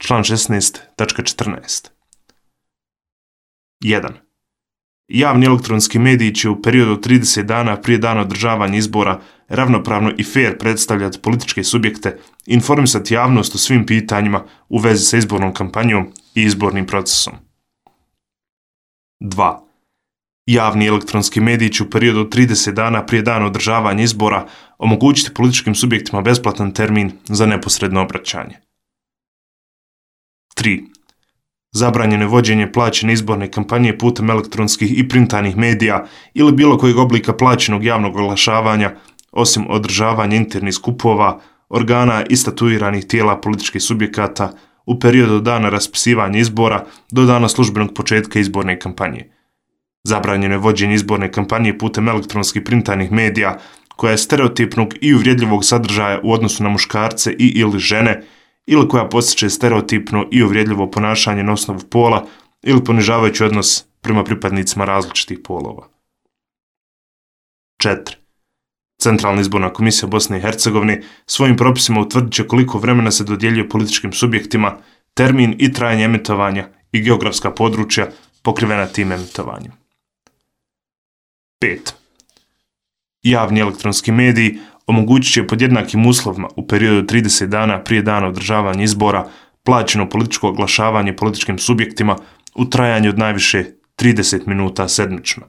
Član 16.14. 1. Javni elektronski mediji će u periodu od 30 dana prije dana održavanja izbora ravnopravno i fair predstavljati političke subjekte i informisati javnost o svim pitanjima u vezi sa izbornom kampanjom i izbornim procesom. 2. Javni elektronski mediji će u periodu od 30 dana prije dana održavanja izbora omogućiti političkim subjektima besplatan termin za neposredno obraćanje. 3. Zabranjeno je vođenje plaćene izborne kampanje putem elektronskih i printanih medija ili bilo kojeg oblika plaćenog javnog oglašavanja, osim održavanja internih skupova, organa i statuiranih tijela političkih subjekata u periodu od dana raspisivanja izbora do dana službenog početka izborne kampanje. Zabranjeno je vođenje izborne kampanje putem elektronskih printanih medija koja je stereotipnog i uvredljivog sadržaja u odnosu na muškarce i ili žene, ili koja postiče stereotipno i uvredljivo ponašanje na osnovu pola ili ponižavajući odnos prema pripadnicima različitih polova. 4. Centralna izborna komisija Bosne i Hercegovine svojim propisima utvrdit će koliko vremena se dodjeljuje političkim subjektima, termin i trajanje emitovanja i geografska područja pokrivena tim emitovanjem. 5. Javni elektronski mediji omogućit će pod jednakim uslovima u periodu 30 dana prije dana održavanja izbora plaćeno političko oglašavanje političkim subjektima u trajanju od najviše 30 minuta sedmično.